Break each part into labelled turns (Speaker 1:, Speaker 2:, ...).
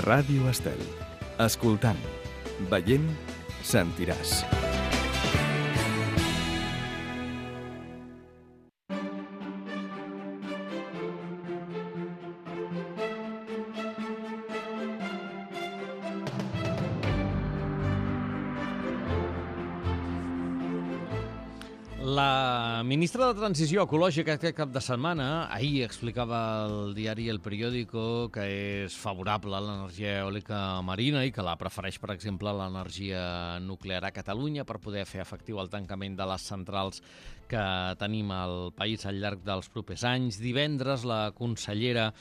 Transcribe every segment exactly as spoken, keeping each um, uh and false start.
Speaker 1: Ràdio Estel. Escoltant, veient, sentiràs.
Speaker 2: La ministra de Transició Ecològica aquest cap de setmana ahir explicava al diari El Periódico que és favorable a l'energia eòlica marina i que la prefereix, per exemple, a l'energia nuclear a Catalunya per poder fer efectiu el tancament de les centrals que tenim al país al llarg dels propers anys. Divendres, la consellera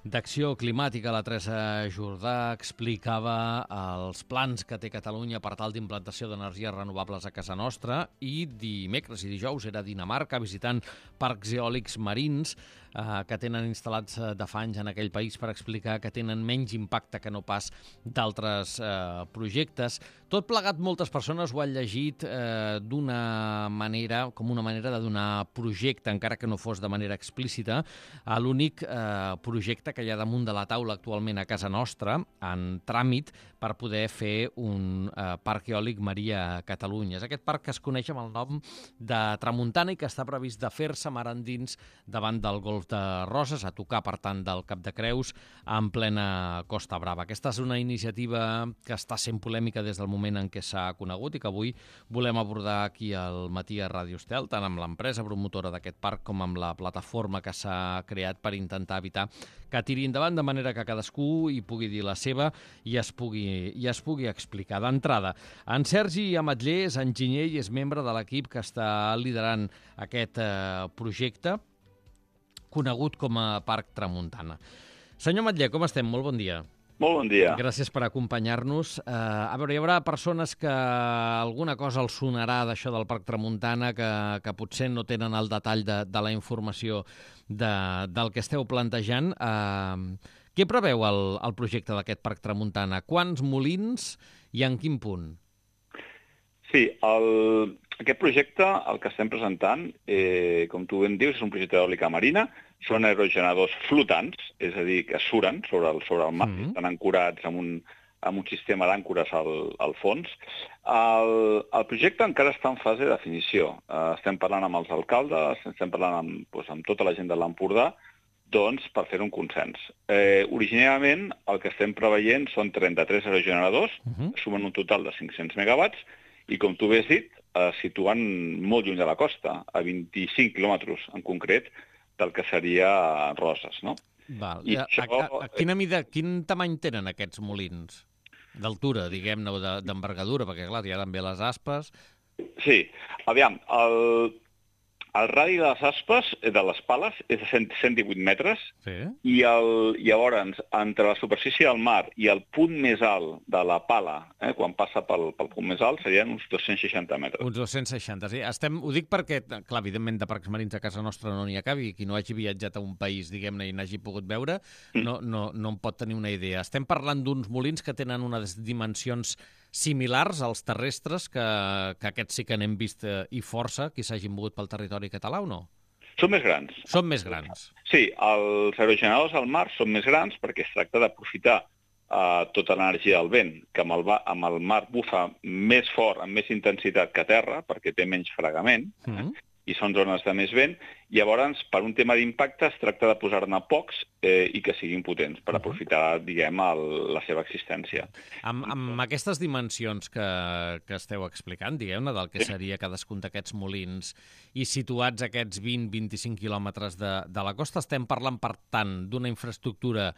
Speaker 2: d'Acció Climàtica, la Teresa Jordà, explicava els plans que té Catalunya per tal d'implantació d'energies renovables a casa nostra i dimecres i dijous era a Dinamarca visitant parcs eòlics marins eh, que tenen instal·lats de fa anys en aquell país per explicar que tenen menys impacte que no pas d'altres eh, projectes. Tot plegat, moltes persones ho han llegit eh, d'una manera, com una manera de donar projecte, encara que no fos de manera explícita, a l'únic eh, projecte que hi ha damunt de la taula actualment a casa nostra, en tràmit, per poder fer un eh, parc eòlic marí a Catalunya. És aquest parc que es coneix amb el nom de Tramuntana i que està previst de fer-se mar endins davant del Golf de Roses, a tocar, per tant, del Cap de Creus, en plena Costa Brava. Aquesta és una iniciativa que està sent polèmica des del moment en què s'ha conegut i que avui volem abordar aquí al matí a Ràdio Estel, tant amb l'empresa promotora d'aquest parc com amb la plataforma que s'ha creat per intentar evitar que tiri endavant, de manera que cadascú hi pugui dir la seva i es pugui, i es pugui explicar. D'entrada, en Sergi Ametller és enginyer i és membre de l'equip que està liderant aquest eh, projecte conegut com a Parc Tramuntana. Senyor Ametller, com estem? Molt bon dia.
Speaker 3: Molt bon dia.
Speaker 2: Gràcies per acompanyar-nos. Uh, a veure, hi haurà persones que alguna cosa els sonarà d'això del Parc Tramuntana, que, que potser no tenen el detall de, de la informació de, del que esteu plantejant. Uh, què preveu el, el projecte d'aquest Parc Tramuntana? Quants molins i en quin punt?
Speaker 3: Sí, el, aquest projecte, el que estem presentant, eh, com tu ben dius, és un projecte d'eòlica marina. Són aerogeneradors flotants, és a dir, que suren sobre el, sobre el mar, mm-hmm. estan ancorats amb un, amb un sistema d'àncores al, al fons. El, el projecte encara està en fase de definició. Uh, estem parlant amb els alcaldes, estem parlant amb, doncs, amb tota la gent de l'Empordà, doncs, per fer un consens. Eh, originàriament, el que estem preveient són trenta-tres aerogeneradors, mm-hmm. sumen un total de cinc-cents megawatts, i com tu bé has dit, eh, situen molt lluny de la costa, a vint-i-cinc quilòmetres en concret, del que seria Roses, no?
Speaker 2: Val. I a, això... a, a, a quina mida, quin tamany tenen aquests molins? D'altura, diguem-ne, o d'envergadura, perquè, clar, hi ha també les aspes.
Speaker 3: Sí, aviam, el, el radi de les aspes, de les pales, és de cent, cent divuit metres, sí. i el, llavors, entre la superfície del mar i el punt més alt de la pala, eh, quan passa pel, pel punt més alt, serien uns dos-cents seixanta metres.
Speaker 2: Uns dos-cents seixanta, sí. Estem, ho dic perquè, clar, evidentment, de parcs marins a casa nostra no n'hi acabi, qui no hagi viatjat a un país, diguem-ne, i n'hagi pogut veure, mm. no, no, no en pot tenir una idea. Estem parlant d'uns molins que tenen unes dimensions similars als terrestres, que, que aquests sí que n'hem vist eh, i força, qui s'hagin mogut pel territori català o no?
Speaker 3: Són més grans.
Speaker 2: Són més grans.
Speaker 3: Sí, els aerogeneradors al mar són més grans perquè es tracta d'aprofitar uh, tota l'energia del vent, que amb el, amb el mar bufa més fort, amb més intensitat que a terra, perquè té menys fregament, mm-hmm. eh? i són zones de més vent. Llavors, per un tema d'impacte, es tracta de posar-ne pocs eh, i que siguin potents, per aprofitar, diguem, el, la seva existència.
Speaker 2: Amb, amb aquestes dimensions que, que esteu explicant, diguem-ne, del que seria cadascun d'aquests molins, i situats aquests vint a vint-i-cinc quilòmetres de, de la costa, estem parlant, per tant, d'una infraestructura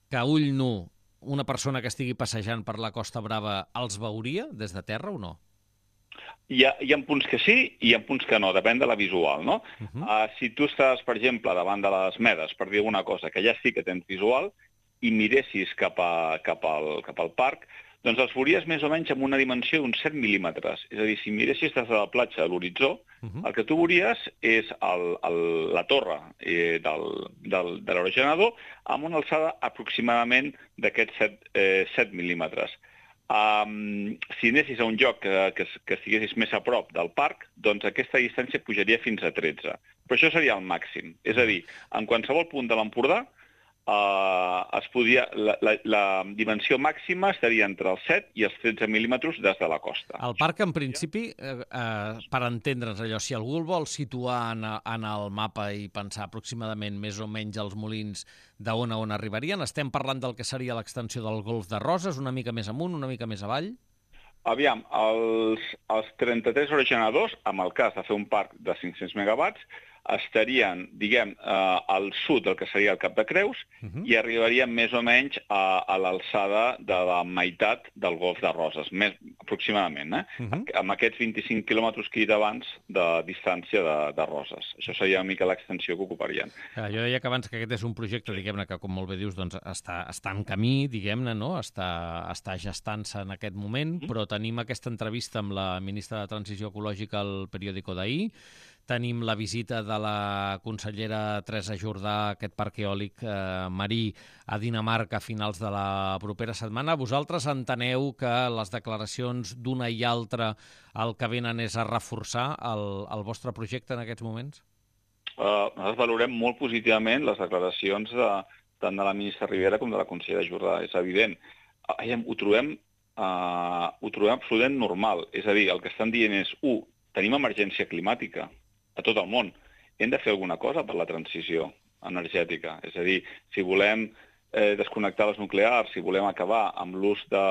Speaker 2: que a ull nu una persona que estigui passejant per la Costa Brava els veuria des de terra o no?
Speaker 3: Hi ha, hi ha punts que sí i hi ha punts que no, depèn de la visual, no? Uh-huh. Uh, si tu estàs, per exemple, davant de les Medes, per dir alguna cosa, que ja sí que tens visual, i miressis cap, a, cap, al, cap al parc, doncs els veuries més o menys amb una dimensió d'uns set mil·límetres. És a dir, si miressis des de la platja a l'horitzó, uh-huh. el que tu veuries és el, el, la torre eh, del, del, de l'aerogenerador amb una alçada aproximadament d'aquests set, eh, set mil·límetres. Um, si anessis a un lloc que, que, que estiguessis més a prop del parc, doncs aquesta distància pujaria fins a tretze. Però això seria el màxim. És a dir, en qualsevol punt de l'Empordà Uh, es podia, la, la, la dimensió màxima estaria entre els set i els tretze mil·límetres des de la costa.
Speaker 2: El parc, en principi, eh, eh, per entendre'ns allò, si algú el vol situar en, en el mapa i pensar aproximadament més o menys els molins d'on a on arribarien, estem parlant del que seria l'extensió del Golf de Roses, una mica més amunt, una mica més avall?
Speaker 3: Aviam, els, els trenta-tres aerogeneradors, amb el cas de fer un parc de cinc-cents megawatts, estarien, diguem, eh, al sud del que seria el Cap de Creus uh -huh. i arribarien més o menys a, a l'alçada de la meitat del Golf de Roses, més aproximadament, eh? Uh -huh. amb aquests vint-i-cinc quilòmetres que he dit abans de distància de, de Roses. Això seria una mica l'extensió que ocuparien.
Speaker 2: Ja, jo deia que abans que aquest és un projecte, diguem-ne, que com molt bé dius, doncs està, està en camí, diguem-ne, no? està, està gestant-se en aquest moment, uh -huh. però tenim aquesta entrevista amb la ministra de Transició Ecològica al periòdico d'ahir. Tenim la visita de la consellera Teresa Jordà a aquest parc eòlic eh, marí a Dinamarca a finals de la propera setmana. Vosaltres enteneu que les declaracions d'una i altra el que venen és a reforçar el, el vostre projecte en aquests moments?
Speaker 3: Uh, nosaltres valorem molt positivament les declaracions de, tant de la ministra Rivera com de la consellera Jordà. És evident. Uh, ho, trobem, uh, ho trobem absolutament normal. És a dir, el que estan dient és, u, tenim emergència climàtica a tot el món. Hem de fer alguna cosa per la transició energètica. És a dir, si volem eh, desconnectar les nuclears, si volem acabar amb l'ús de,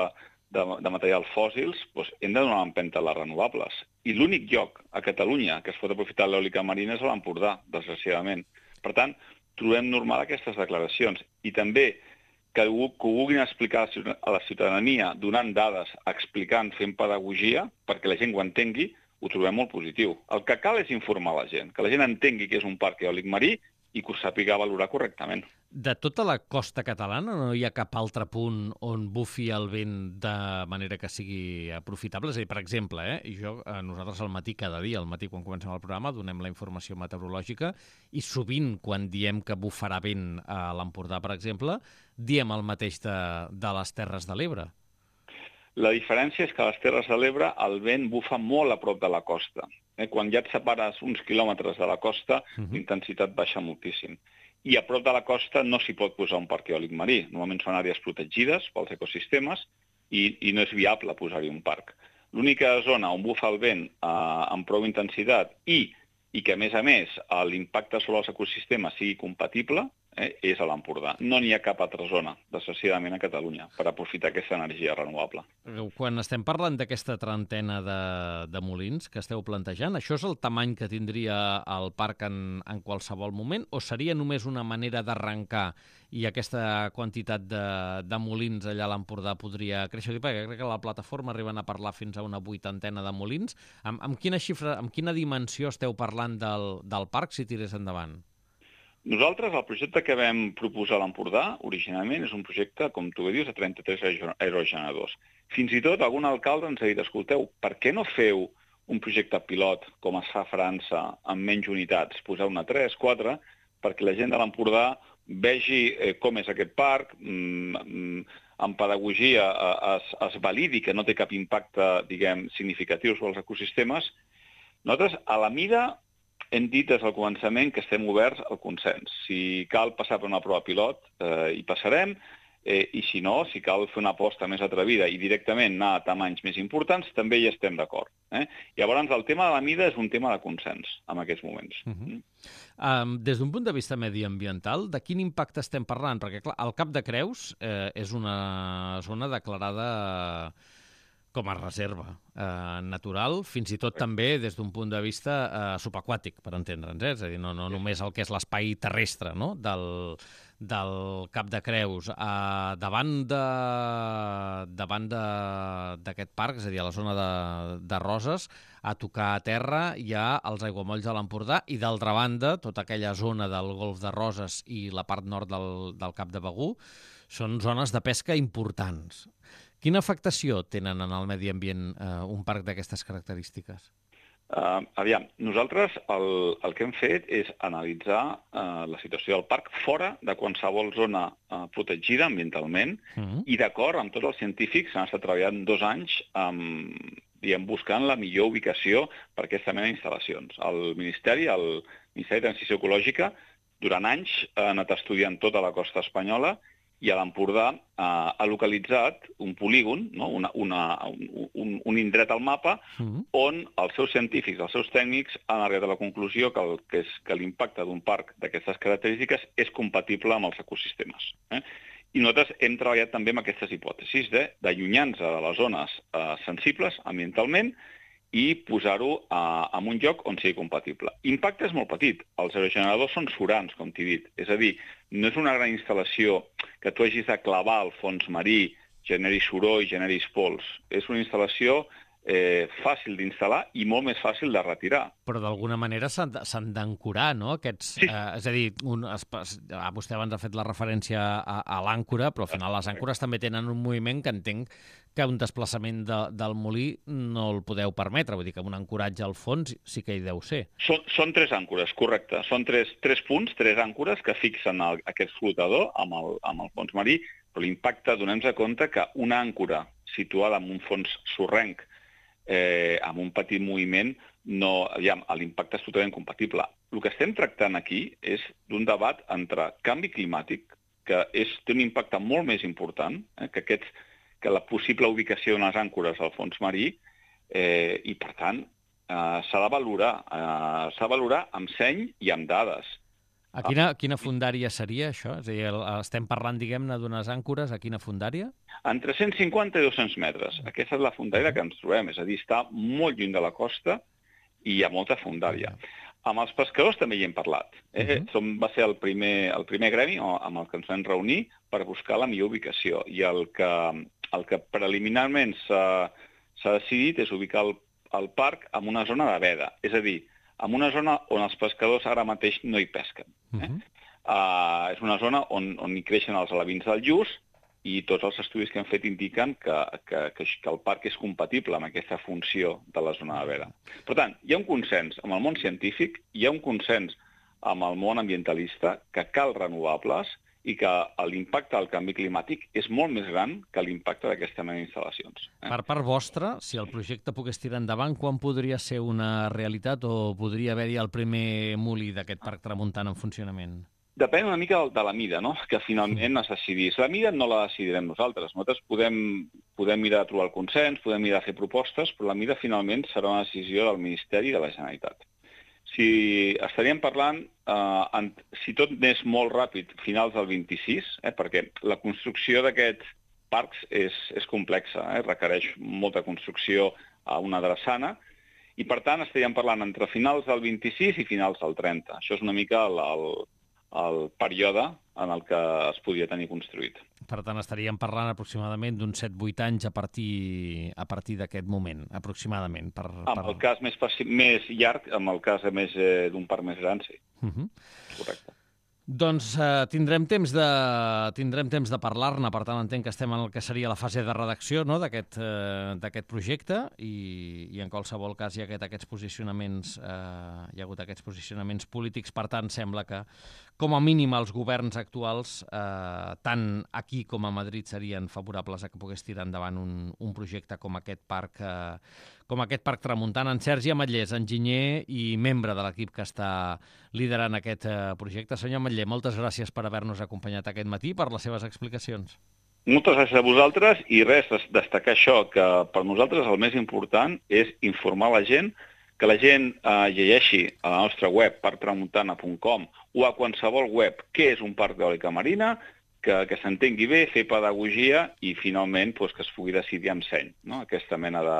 Speaker 3: de, de materials fòssils, doncs hem de donar empenta a les renovables. I l'únic lloc a Catalunya que es pot aprofitar l'eòlica marina és a l'Empordà, desgraciadament. Per tant, trobem normal aquestes declaracions. I també que ho, que ho vulguin explicar a la ciutadania, donant dades, explicant, fent pedagogia, perquè la gent ho entengui, ho trobem molt positiu. El que cal és informar la gent, que la gent entengui que és un parc eòlic marí i que ho sàpiga valorar correctament.
Speaker 2: De tota la costa catalana no hi ha cap altre punt on bufi el vent de manera que sigui aprofitable? És a dir, per exemple, eh, i jo, eh, nosaltres al matí, cada dia, al matí quan comencem el programa, donem la informació meteorològica i sovint quan diem que bufarà vent a l'Empordà, per exemple, diem el mateix de, de les Terres de l'Ebre.
Speaker 3: La diferència és que a les Terres de l'Ebre el vent bufa molt a prop de la costa. Eh? Quan ja et separes uns quilòmetres de la costa, uh-huh. l'intensitat baixa moltíssim. I a prop de la costa no s'hi pot posar un parc eòlic marí. Normalment són àrees protegides pels ecosistemes i, i no és viable posar-hi un parc. L'única zona on bufa el vent eh, amb prou intensitat i, i que, a més a més, l'impacte sobre els ecosistemes sigui compatible, Eh, és a l'Empordà. No n'hi ha cap altra zona, desgraciadament, a Catalunya, per aprofitar aquesta energia renovable.
Speaker 2: Quan estem parlant d'aquesta trentena de, de molins que esteu plantejant, això és el tamany que tindria el parc en, en qualsevol moment, o seria només una manera d'arrencar i aquesta quantitat de, de molins allà a l'Empordà podria créixer? Perquè crec que a la plataforma arriben a parlar fins a una vuitantena de molins. Amb, amb quina xifra, amb quina dimensió esteu parlant del, del parc si tirés endavant?
Speaker 3: Nosaltres, el projecte que vam proposar a l'Empordà, originalment, és un projecte, com tu bé dius, de trenta-tres aerogeneradors. Fins i tot algun alcalde ens ha dit, escolteu, per què no feu un projecte pilot, com es fa a França, amb menys unitats, posar una tres, quatre, perquè la gent de l'Empordà vegi eh, com és aquest parc, mm, amb pedagogia eh, es, es validi que no té cap impacte, diguem, significatiu sobre els ecosistemes. Nosaltres, a la mida, hem dit des del començament que estem oberts al consens. Si cal passar per una prova pilot, eh, hi passarem, eh, i si no, si cal fer una aposta més atrevida i directament anar a tamanys més importants, també hi estem d'acord. Eh? Llavors, el tema de la mida és un tema de consens en aquests moments.
Speaker 2: Uh -huh. um, des d'un punt de vista mediambiental, de quin impacte estem parlant? Perquè, clar, el Cap de Creus eh, és una zona declarada com a reserva eh, natural, fins i tot també des d'un punt de vista eh, subaquàtic, per entendre'ns, eh? És a dir, no, no només el que és l'espai terrestre, no?, del, del Cap de Creus. Eh, davant de, davant d'aquest parc, és a dir, a la zona de, de Roses, a tocar a terra hi ha els aiguamolls de l'Empordà i, d'altra banda, tota aquella zona del Golf de Roses i la part nord del, del Cap de Begur són zones de pesca importants. Quina afectació tenen en el medi ambient eh, un parc d'aquestes característiques?
Speaker 3: Uh, aviam, nosaltres el, el que hem fet és analitzar uh, la situació del parc fora de qualsevol zona uh, protegida ambientalment uh-huh. i d'acord amb tots els científics han estat treballant dos anys amb, diguem, buscant la millor ubicació per aquesta mena d'instal·lacions. El Ministeri, el Ministeri de Transició Ecològica, durant anys ha anat estudiant tota la costa espanyola i a l'Empordà eh, ha localitzat un polígon, no? una, una, un, un, un indret al mapa, mm-hmm. on els seus científics, els seus tècnics han arribat a la conclusió que, el, que, és, que l'impacte d'un parc d'aquestes característiques és compatible amb els ecosistemes. Eh? I nosaltres hem treballat també amb aquestes hipòtesis d'allunyar-nos de les zones eh, sensibles ambientalment i posar-ho eh, en un lloc on sigui compatible. L'impacte és molt petit. Els aerogeneradors són surants, com t'he dit. És a dir, no és una gran instal·lació que tu hagis de clavar al fons marí, generi soroll, generis pols. És una instal·lació eh, fàcil d'instal·lar i molt més fàcil de retirar.
Speaker 2: Però d'alguna manera s'han d'ancorar, no? Aquests, sí. eh, és a dir, un, es, ah, vostè abans ha fet la referència a, a l'àncora, però al final les àncores també tenen un moviment que entenc que un desplaçament de, del molí no el podeu permetre, vull dir que un ancoratge al fons sí que hi deu ser.
Speaker 3: Són, són tres àncores, correcte. Són tres, tres punts, tres àncores que fixen el, aquest flotador amb el, amb el fons marí, però l'impacte, donem-nos compte que una àncora situada en un fons sorrenc eh, amb un petit moviment, no, aviam, l'impacte és totalment compatible. El que estem tractant aquí és d'un debat entre canvi climàtic, que és, té un impacte molt més important, eh, que aquests que la possible ubicació d'unes àncores al fons marí, eh, i, per tant, eh, s'ha de valorar. Eh, s'ha de valorar amb seny i amb dades.
Speaker 2: A quina, quina fundària seria això? És a dir, estem parlant, diguem-ne, d'unes àncores, a quina fundària?
Speaker 3: Entre cent cinquanta i dos-cents metres. Aquesta és la fundària que ens trobem, és a dir, està molt lluny de la costa i hi ha molta fundària. Amb els pescadors també hi hem parlat. Eh? Uh-huh. Som, va ser el primer, el primer gremi amb el que ens vam reunir per buscar la millor ubicació. I el que, el que preliminarment s'ha decidit és ubicar el, el parc en una zona de veda. És a dir, en una zona on els pescadors ara mateix no hi pesquen. Eh? Uh-huh. uh, és una zona on, on hi creixen els alevins del lluç i tots els estudis que hem fet indiquen que, que, que, que el parc és compatible amb aquesta funció de la zona de veda. Per tant, hi ha un consens amb el món científic, hi ha un consens amb el món ambientalista que cal renovables i que l'impacte del canvi climàtic és molt més gran que l'impacte d'aquesta mena d'instal·lacions. Eh?
Speaker 2: Per part vostra, si el projecte pogués tirar endavant, quan podria ser una realitat o podria haver-hi el primer molí d'aquest parc tramuntant en funcionament?
Speaker 3: Depèn una mica de la mida, no?, que finalment es decidís. La mida no la decidirem nosaltres. Nosaltres podem, podem mirar de trobar el consens, podem mirar de fer propostes, però la mida finalment serà una decisió del Ministeri i de la Generalitat. Si estaríem parlant, eh, en, si tot anés molt ràpid, finals del vint-i-sis, eh, perquè la construcció d'aquests parcs és, és complexa, eh, requereix molta construcció a una drassana, i per tant estaríem parlant entre finals del vint-i-sis i finals del trenta. Això és una mica el, el el període en el que es podia tenir construït.
Speaker 2: Per tant, estaríem parlant aproximadament d'uns set vuit anys a partir, a partir d'aquest moment, aproximadament. Per, per...
Speaker 3: En el cas més, més llarg, en el cas més eh, d'un parc més gran, sí. Uh-huh. Correcte.
Speaker 2: Doncs eh, tindrem temps de, tindrem temps de parlar-ne, per tant entenc que estem en el que seria la fase de redacció, no?, d'aquest eh, d'aquest projecte i, i en qualsevol cas hi ha aquest, aquests posicionaments eh, hi ha hagut aquests posicionaments polítics, per tant sembla que com a mínim els governs actuals eh, tant aquí com a Madrid serien favorables a que pogués tirar endavant un, un projecte com aquest parc eh, com aquest parc tramuntant. En Sergi Ametllers, enginyer i membre de l'equip que està liderant aquest eh, projecte. Senyor Ametller, moltes gràcies per haver-nos acompanyat aquest matí, per les seves explicacions.
Speaker 3: Moltes gràcies a vosaltres i res, destacar això, que per nosaltres el més important és informar la gent, que la gent eh, llegeixi a la nostra web parc tramuntana punt com o a qualsevol web què és un parc d'eòlica marina, que, que s'entengui bé, fer pedagogia i finalment pues, que es pugui decidir amb seny, no?, aquesta mena de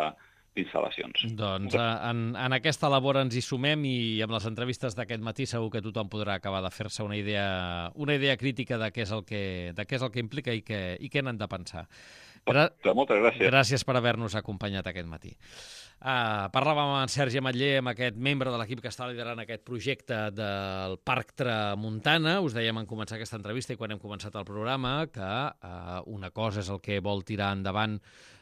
Speaker 3: d'instal·lacions.
Speaker 2: Doncs en, en aquesta labor ens hi sumem i amb les entrevistes d'aquest matí segur que tothom podrà acabar de fer-se una idea, una idea crítica de què és el que, de què és el que implica i què, i què n'han de pensar.
Speaker 3: Gra Moltes gràcies.
Speaker 2: Gràcies per haver-nos acompanyat aquest matí. Uh, parlàvem amb en Sergi Ametller, amb aquest membre de l'equip que està liderant aquest projecte del Parc Tramuntana. Us dèiem en començar aquesta entrevista i quan hem començat el programa que uh, una cosa és el que vol tirar endavant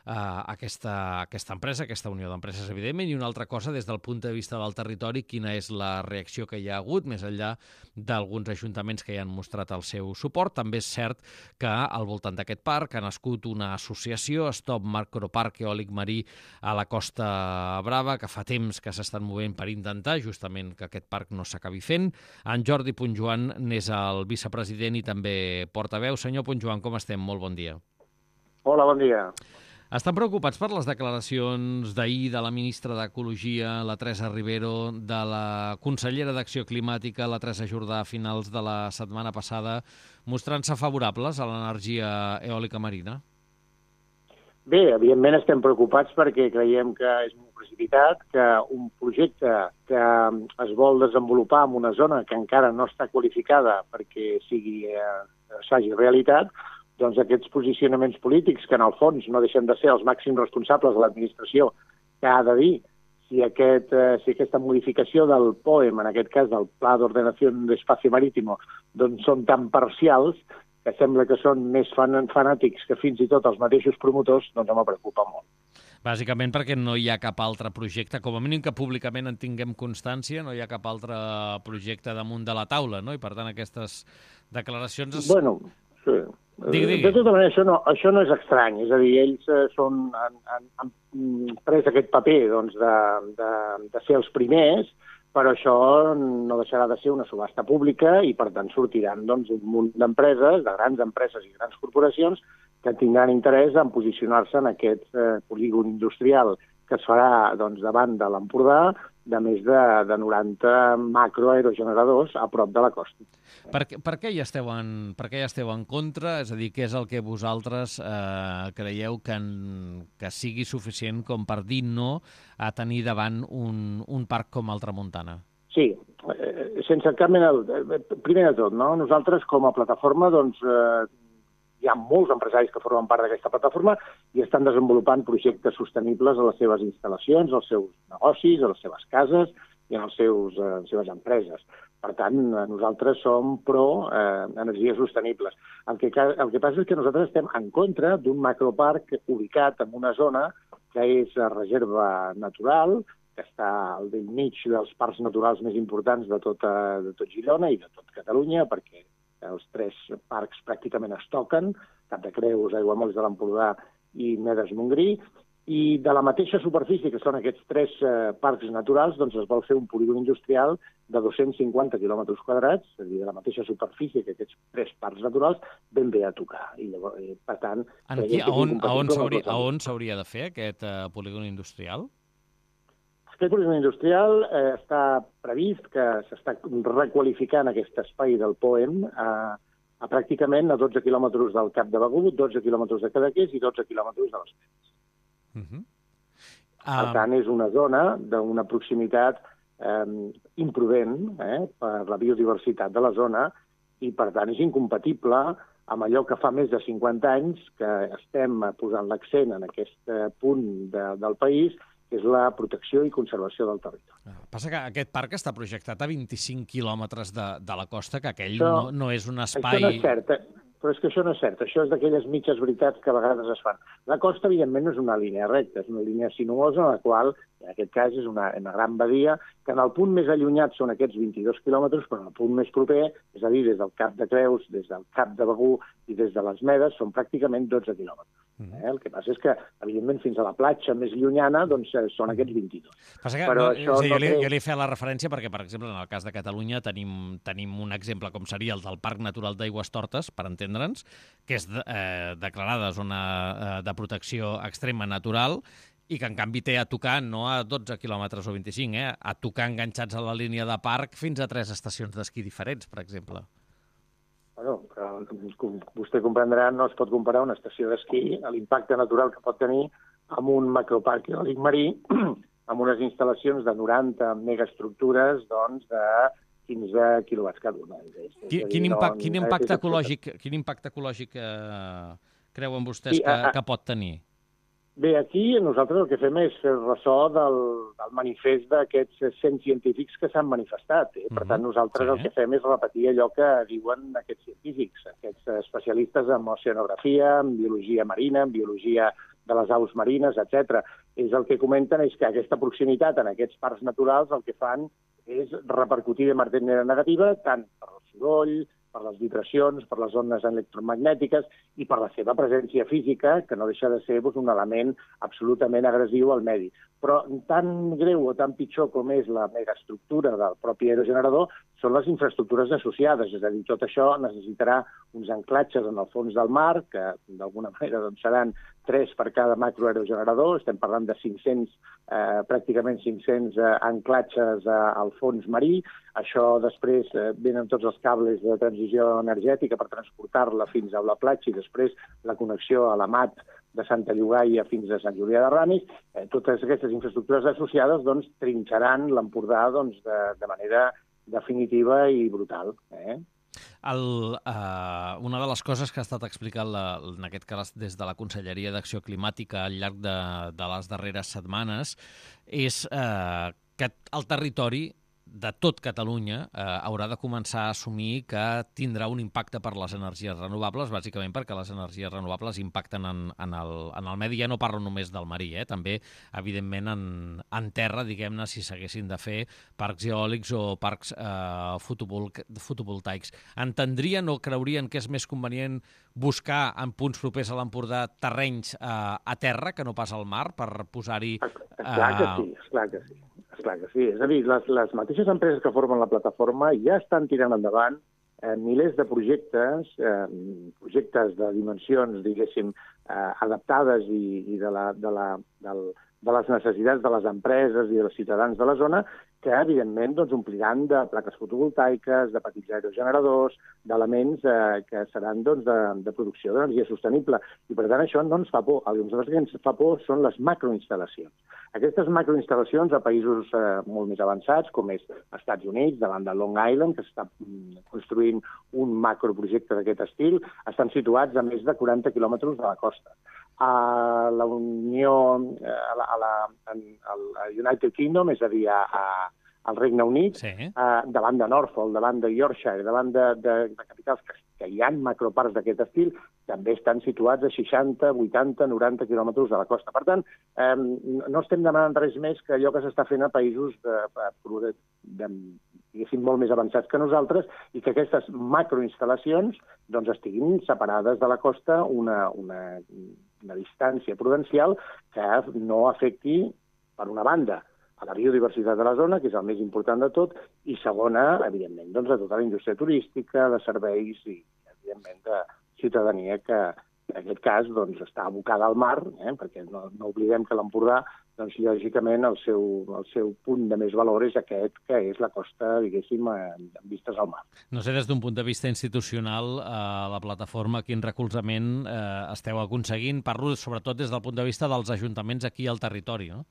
Speaker 2: aquesta, aquesta empresa, aquesta unió d'empreses, evidentment, i una altra cosa des del punt de vista del territori, quina és la reacció que hi ha hagut, més enllà d'alguns ajuntaments que hi han mostrat el seu suport. També és cert que al voltant d'aquest parc ha nascut una associació, Stop Macroparc Eòlic Marí a la Costa Brava, que fa temps que s'estan movent per intentar justament que aquest parc no s'acabi fent. En Jordi Puntjoan n'és el vicepresident i també portaveu. Senyor Puntjoan, com estem? Molt bon dia.
Speaker 4: Hola, bon dia.
Speaker 2: Estan preocupats per les declaracions d'ahir de la ministra d'Ecologia, la Teresa Rivero, de la consellera d'Acció Climàtica, la Teresa Jordà, a finals de la setmana passada, mostrant-se favorables a l'energia eòlica marina?
Speaker 4: Bé, evidentment estem preocupats perquè creiem que és molt precipitat, que un projecte que es vol desenvolupar en una zona que encara no està qualificada perquè sigui eh, s'hagi realitat, doncs aquests posicionaments polítics, que en el fons no deixen de ser els màxims responsables de l'administració, que ha de dir si, aquest, eh, si aquesta modificació del P O E M, en aquest cas del Pla d'Ordenació d'Espacio Marítimo, doncs són tan parcials que sembla que són més fan fanàtics que fins i tot els mateixos promotors, doncs em preocupa molt.
Speaker 2: Bàsicament perquè no hi ha cap altre projecte, com a mínim que públicament en tinguem constància, no hi ha cap altre projecte damunt de la taula, no? I per tant aquestes declaracions... Es...
Speaker 4: Bueno, sí.
Speaker 2: Digui, digui.
Speaker 4: De tota manera, això no, això no és estrany, és a dir, ells eh, són, han, han, han pres aquest paper doncs, de, de, de ser els primers, però això no deixarà de ser una subhasta pública i, per tant, sortiran doncs, un munt d'empreses, de grans empreses i grans corporacions, que tindran interès en posicionar-se en aquest eh, polígon industrial que es farà doncs, davant de l'Empordà, de més de, de noranta macroaerogeneradors a prop de la costa.
Speaker 2: Per, per, què hi esteu en, per què hi esteu en contra? És a dir, què és el que vosaltres eh, creieu que, en, que sigui suficient com per dir no a tenir davant un, un parc com el Tramuntana?
Speaker 4: Sí, eh, sense cap mena... Primer de tot, no? Nosaltres com a plataforma doncs, eh, hi ha molts empresaris que formen part d'aquesta plataforma i estan desenvolupant projectes sostenibles a les seves instal·lacions, als seus negocis, a les seves cases i a les, seus, a les seves empreses. Per tant, nosaltres som pro eh, energies sostenibles. El que, el que passa és que nosaltres estem en contra d'un macroparc ubicat en una zona que és reserva natural, que està al bell mig dels parcs naturals més importants de, tota, de tot Girona i de tot Catalunya, perquè els tres parcs pràcticament es toquen, Cap de Creus, Aiguamolls de l'Empordà i Medes Montgrí, i de la mateixa superfície que són aquests tres eh, parcs naturals, doncs es vol fer un polígon industrial de dos-cents cinquanta quilòmetres quadrats, és a dir, de la mateixa superfície que aquests tres parcs naturals, ben bé a tocar. I llavors, eh, per tant...
Speaker 2: En qui, a on, a on s'hauria de fer aquest eh, polígon industrial?
Speaker 4: Aquest polígon industrial eh, està previst que s'està requalificant aquest espai del P O E M a, a pràcticament a dotze quilòmetres del Cap de Begur, dotze quilòmetres de Cadaqués i dotze quilòmetres de les Medes. Uh -huh. uh... Per tant, és una zona d'una proximitat eh, imprudent eh, per la biodiversitat de la zona i, per tant, és incompatible amb allò que fa més de cinquanta anys que estem posant l'accent en aquest eh, punt de, del país, que és la protecció i conservació del territori.
Speaker 2: Passa que aquest parc està projectat a vint-i-cinc quilòmetres de, de la costa, que aquell això, no, no és un espai...
Speaker 4: Això no és cert, eh? Però és que això no és cert. Això és d'aquelles mitges veritats que a vegades es fan. La costa, evidentment, no és una línia recta, és una línia sinuosa en la qual, en aquest cas, és una, una gran badia, que en el punt més allunyat són aquests vint-i-dos quilòmetres, però en el punt més proper, és a dir, des del Cap de Creus, des del Cap de Begur i des de les Medes, són pràcticament dotze quilòmetres. Eh? El que passa és que, evidentment, fins a la platja més llunyana, doncs, són aquests vint-i-dos.
Speaker 2: Passa que però no, això sí, no jo, li, jo li he fet la referència perquè, per exemple, en el cas de Catalunya tenim, tenim un exemple com seria el del Parc Natural d'Aigüestortes, per entendre'ns, que és eh, declarada zona eh, de protecció extrema natural i que, en canvi, té a tocar no a dotze quilòmetres o vint-i-cinc, eh, a tocar enganxats a la línia de parc fins a tres estacions d'esquí diferents, per exemple.
Speaker 4: Bueno, com vostè comprendrà, no es pot comparar una estació d'esquí a l'impacte natural que pot tenir amb un macroparc eòlic marí, amb unes instal·lacions de noranta megaestructures, doncs, de quinze quilowatts cada una.
Speaker 2: Quin, quin, impact, quin, impacte ecològic, quin impacte ecològic eh, creuen vostès sí, que, a, que pot tenir?
Speaker 4: Bé, aquí nosaltres el que fem és fer ressò del, del manifest d'aquests cent científics que s'han manifestat. Eh? Per tant, nosaltres sí. el que fem és repetir allò que diuen aquests científics, aquests especialistes en oceanografia, en biologia marina, en biologia de les aus marines, etcètera. És el que comenten és que aquesta proximitat en aquests parcs naturals el que fan és repercutir de manera negativa tant per el soroll, per les vibracions, per les ones electromagnètiques i per la seva presència física, que no deixa de ser doncs, un element absolutament agressiu al medi. Però tan greu o tan pitjor com és la megaestructura del propi aerogenerador són les infraestructures associades, és a dir, tot això necessitarà uns anclatges en el fons del mar, que d'alguna manera doncs, seran tres per cada macroaerogenerador, estem parlant de cinc-cents, eh, pràcticament cinc-cents eh, anclatges eh, al fons marí. Això després eh, venen tots els cables de transició energètica per transportar-la fins a la platja i després la connexió a la mat de Santa Llogaia fins a Sant Julià de Ramis. Eh, totes aquestes infraestructures associades doncs, trinxaran l'Empordà doncs, de, de manera definitiva i brutal. Eh?
Speaker 2: El, uh, una de les coses que ha estat explicat la, en aquest cas des de la Conselleria d'Acció Climàtica al llarg de, de les darreres setmanes és uh, que el territori de tot Catalunya eh, haurà de començar a assumir que tindrà un impacte per les energies renovables, bàsicament perquè les energies renovables impacten en, en, el, en el medi. Ja no parlo només del marí, eh? També, evidentment, en, en terra, diguem-ne, si s'haguessin de fer parcs eòlics o parcs eh, fotovol fotovoltaics. Entendrien o creurien que és més convenient buscar en punts propers a l'Empordà terrenys eh, a terra que no pas al mar per posar-hi...
Speaker 4: Eh... Esclar que sí, esclar que sí. Esclar que sí. És a dir, les, les mateixes empreses que formen la plataforma ja estan tirant endavant eh, milers de projectes, eh, projectes de dimensions, diguéssim, eh, adaptades i, i de, la, de, la, del, de les necessitats de les empreses i dels ciutadans de la zona, que, evidentment, doncs, ompliran de plaques fotovoltaiques, de petits aerogeneradors, d'elements eh, que seran doncs, de, de producció d'energia sostenible. I, per tant, això no ens fa por. El que ens fa por són les macroinstal·lacions. Aquestes macroinstal·lacions a països eh, molt més avançats, com és als Estats Units, davant de Long Island, que s'està construint un macroprojecte d'aquest estil, estan situats a més de quaranta quilòmetres de la costa. A la Unió, a la, a la, a United Kingdom, és a dir, a, a, al Regne Unit, sí. eh, davant de Norfolk, davant de Yorkshire, davant de, de, de capitals que, que hi ha macroparcs d'aquest estil, també estan situats a seixanta, vuitanta, noranta quilòmetres de la costa. Per tant, eh, no estem demanant res més que allò que s'està fent a països de, de, de, diguéssim, molt més avançats que nosaltres i que aquestes macroinstal·lacions doncs, estiguin separades de la costa una, una, una distància prudencial que no afecti, per una banda, a la biodiversitat de la zona, que és el més important de tot, i segona, evidentment, doncs, a tota la indústria turística, de serveis i, evidentment, de ciutadania que, en aquest cas, doncs, està abocada al mar, eh? Perquè no, no oblidem que l'Empordà, doncs, lògicament, el seu, el seu punt de més valor és aquest, que és la costa, diguéssim, amb vistes al mar.
Speaker 2: No sé, des d'un punt de vista institucional, eh, la plataforma, quin recolzament eh, esteu aconseguint? Parlo sobretot des del punt de vista dels ajuntaments aquí al territori, no?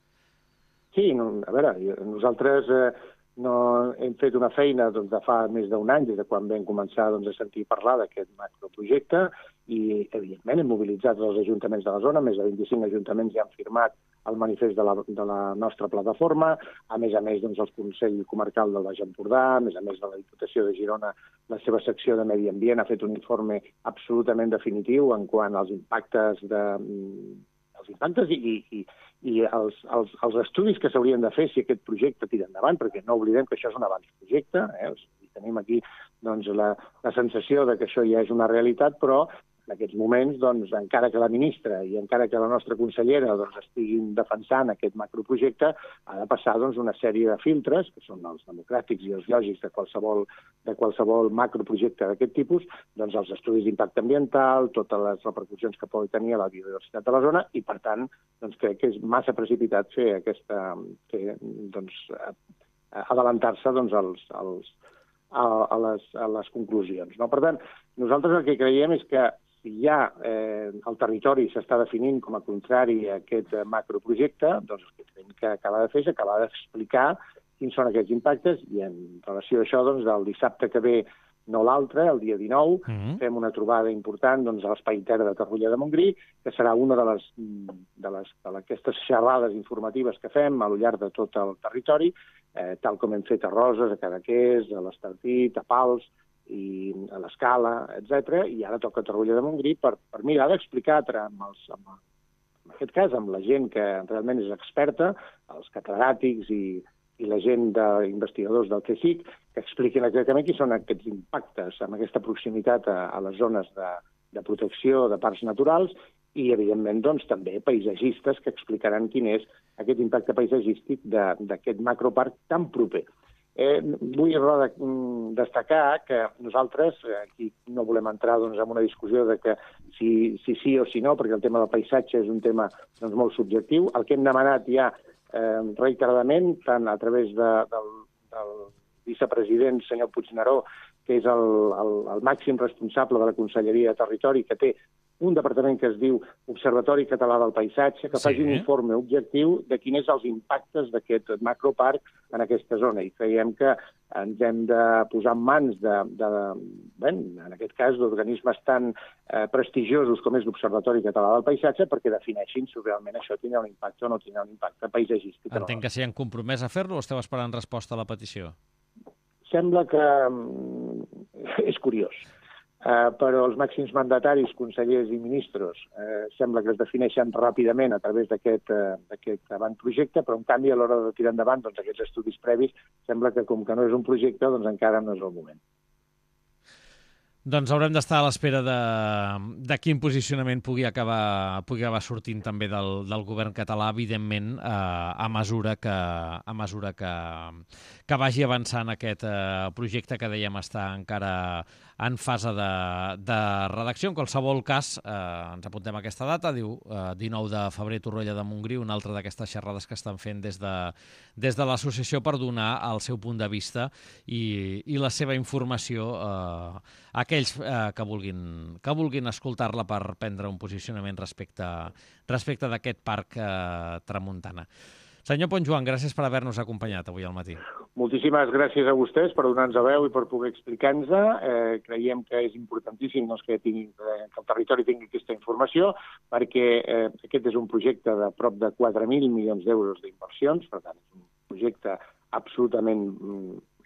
Speaker 4: Sí, no, a veure, nosaltres eh, no, hem fet una feina doncs, de fa més d'un any, des de quan vam començar doncs, a sentir parlar d'aquest macroprojecte, i, evidentment, hem mobilitzat els ajuntaments de la zona, més de vint-i-cinc ajuntaments ja han firmat el manifest de la, de la nostra plataforma, a més a més, doncs, el Consell Comarcal del Baix Empordà, a més a més de la Diputació de Girona, la seva secció de Medi Ambient ha fet un informe absolutament definitiu en quant als impactes de... els impactes i, i, i els, els, els estudis que s'haurien de fer si aquest projecte tira endavant, perquè no oblidem que això és un abans-projecte, eh? Tenim aquí doncs, la, la sensació de que això ja és una realitat, però en aquests moments, doncs, encara que la ministra i encara que la nostra consellera doncs, estiguin defensant aquest macroprojecte, ha de passar doncs, una sèrie de filtres, que són els democràtics i els lògics de qualsevol, de qualsevol macroprojecte d'aquest tipus, doncs, els estudis d'impacte ambiental, totes les repercussions que pot tenir a la biodiversitat de la zona, i, per tant, doncs, crec que és massa precipitat fer aquesta... Fer, doncs, adelantar-se doncs, als, als, a, a, les, a les conclusions. No? Per tant, nosaltres el que creiem és que si ja eh, el territori s'està definint com a contrari a aquest eh, macroprojecte, doncs el que hem que acabar de fer és acabar d'explicar quins són aquests impactes, i en relació a això, doncs, el dissabte que ve, no l'altre, el dia dinou, mm-hmm. fem una trobada important doncs, a l'Espai Terra de Torroella de Montgrí, que serà una de les de les d'aquestes xerrades informatives que fem al llarg de tot el territori, eh, tal com hem fet a Roses, a Cadaqués, a l'Estartit, a Pals, i a l'Escala, etcètera, i ara toca a Torroella de Montgrí per, per mirar d'explicar amb, els, amb, en aquest cas amb la gent que realment és experta, els catedràtics i, i la gent d'investigadors del C S I C, que expliquin exactament quins són aquests impactes amb aquesta proximitat a, a les zones de, de protecció de parcs naturals i, evidentment, doncs, també paisatgistes que explicaran quin és aquest impacte paisatgístic d'aquest macroparc tan proper. Eh, vull destacar que nosaltres aquí no volem entrar doncs, en una discussió de que si, si sí o si no, perquè el tema del paisatge és un tema doncs, molt subjectiu. El que hem demanat ja eh, reiteradament, tant a través de, del, del vicepresident, senyor Puigneró, que és el, el, el màxim responsable de la Conselleria de Territori, que té un departament que es diu Observatori Català del Paisatge, que faci sí. un informe objectiu de quins són els impactes d'aquest macroparc en aquesta zona. I creiem que ens hem de posar en mans de, de, bé, en aquest cas, d'organismes tan eh, prestigiosos com és l'Observatori Català del Paisatge perquè defineixin si realment això tindrà un impacte o no tindrà un impacte paisatgístic.
Speaker 2: Entenc que s'hi han compromès a fer-lo o esteu esperant resposta a la petició?
Speaker 4: Sembla que és curiós. Uh, però els màxims mandataris, consellers i ministres uh, sembla que es defineixen ràpidament a través d'aquest uh, avantprojecte, però en canvi a l'hora de tirar endavant doncs, aquests estudis previs sembla que com que no és un projecte doncs encara no és el moment.
Speaker 2: Doncs haurem d'estar a l'espera de, de quin posicionament pugui acabar, pugui acabar sortint també del, del govern català, evidentment, eh, a mesura que, a mesura que, que vagi avançant aquest eh, projecte que dèiem està encara en fase de, de redacció. En qualsevol cas, eh, ens apuntem a aquesta data, diu eh, dinou de febrer, Torroella de Montgrí, una altra d'aquestes xerrades que estan fent des de, des de l'associació per donar el seu punt de vista i, i la seva informació eh, a aquells eh, que vulguin, que vulguin escoltar-la per prendre un posicionament respecte, respecte d'aquest parc eh, Tramuntana. Senyor Ponsjoan, gràcies per haver-nos acompanyat avui al matí.
Speaker 4: Moltíssimes gràcies a vostès per donar-nos a veu i per poder explicar-nos. Eh, creiem que és importantíssim doncs, que, tingui, eh, que el territori tingui aquesta informació perquè eh, aquest és un projecte de prop de quatre mil milions d'euros d'inversions, per tant, és un projecte absolutament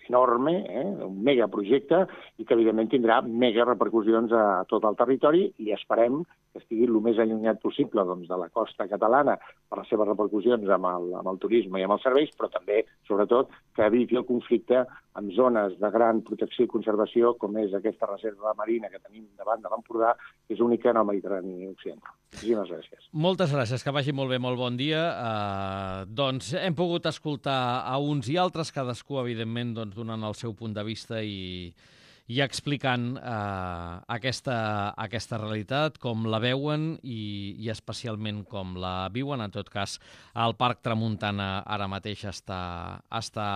Speaker 4: enorme, eh, un megaprojecte, i que evidentment tindrà mega repercussions a tot el territori i esperem que estigui el més allunyat possible doncs, de la costa catalana per les seves repercussions amb el, amb el turisme i amb els serveis, però també, sobretot, que eviti el conflicte amb zones de gran protecció i conservació, com és aquesta reserva marina que tenim davant de l'Empordà, que és única en el Mediterrani occidental. Moltíssimes gràcies.
Speaker 2: Moltes gràcies, que vagi molt bé, molt bon dia. Uh, doncs hem pogut escoltar a uns i altres, cadascú, evidentment, doncs, donant el seu punt de vista i, i explicant eh, aquesta, aquesta realitat, com la veuen i, i especialment com la viuen. En tot cas, el Parc Tramuntana ara mateix està, està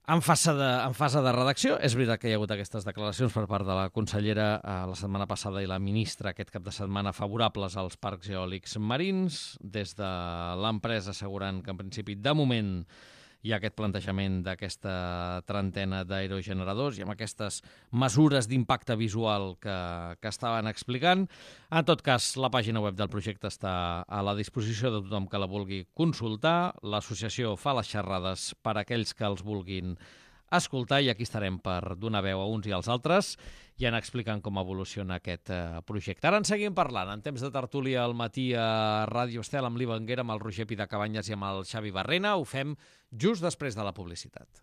Speaker 2: en fase, de, en fase de redacció. És veritat que hi ha hagut aquestes declaracions per part de la consellera eh, la setmana passada i la ministra aquest cap de setmana favorables als parcs eòlics marins, des de l'empresa assegurant que en principi de moment hi ha aquest plantejament d'aquesta trentena d'aerogeneradors i amb aquestes mesures d'impacte visual que, que estaven explicant. En tot cas, la pàgina web del projecte està a la disposició de tothom que la vulgui consultar. L'associació fa les xerrades per a aquells que els vulguin escoltar i aquí estarem per donar veu a uns i als altres i anar explicant com evoluciona aquest eh, projecte. Ara en seguim parlant, en temps de tertúlia al matí a Ràdio Estel amb l'Iva Anguera, amb el Roger Pidacabanyes i amb el Xavi Barrena. Ho fem just després de la publicitat.